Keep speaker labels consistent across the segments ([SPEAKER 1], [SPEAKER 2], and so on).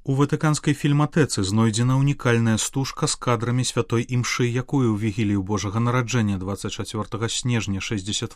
[SPEAKER 1] У ватыканскай фільматэцы знойдзена ўнікальная стужка з кадрамі святой імшы, якую ў вігілію Божага нараджэння 24 снежня 68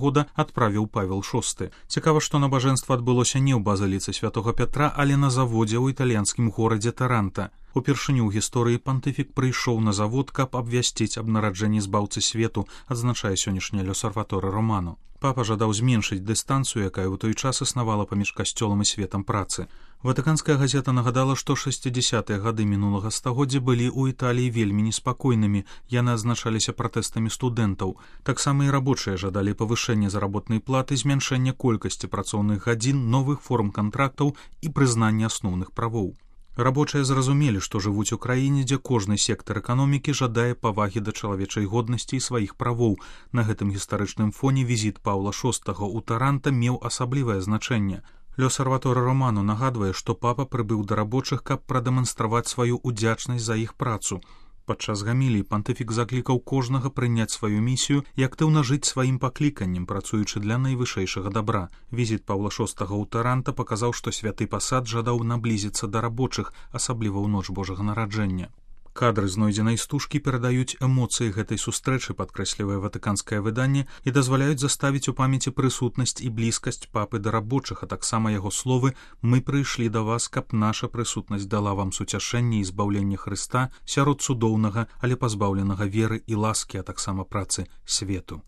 [SPEAKER 1] года адправіў Павел VI. Цікава, што набажэнства адбылося не ў базыліцы святого Пятра, але на заводзе ў італьянскім горадзе Таранта. Упершыню ў гісторыі пантыфік прыйшоў на завод, каб абвясціць аб нараджэнні збаўцы свету, адзначае сённяшні L'Osservatore Romano. Папа жадаў зменшыць дыстанцыю, якая ў той час існавала паміж касцёлам і светам працы. Ватыканская газета нагадала, што 60-е гады мінулага стагоддзя былі ў Італіі вельмі неспакойнымі, яны адзначаліся пратэстамі студэнтаў. Таксама і рабочыя жадалі павышэння заработнай платы, змяншэння колькасці працоўных гадзін, новых форм кантрактаў і прызнання асноўных правоў. Рабочыя зразумелі, што жывуць у краіне, дзе кожны сектар эканомікі жадае павагі да чалавечай годнасці і сваіх правоў. На гэтым гістарычным фоне візіт Паўла VI ў Таранта меў асаблівае значэнне. L'Osservatore Romano нагадвае, што папа прыбыў да рабочых, каб прадэманстраваць сваю ўдзячнасць за іх працу. Падчас гаміліі пантыфік заклікаў кожнага прыняць сваю місію і актыўна жыць сваім пакліканнем, працуючы для найвышэйшага дабра. Візіт Паўла VI ў Таранта паказаў, што святы пасад жадаў наблізіцца да рабочых, асабліва ў ноч Божага нараджэння. Кадры знойдзенай стужкі перадаюць эмоцыі гэтай сустрэчы, падкрэслівае ватыканскае выданне, і дазваляюць заставіць у памяці прысутнасць і блізкасць папы да рабочых, а таксама яго словы «Мы прыйшлі да вас, каб наша прысутнасць дала вам суцяшэнне і збаўленне Хрыста сярод цудоўнага, але пазбаўленага веры і ласкі, а таксама працы свету».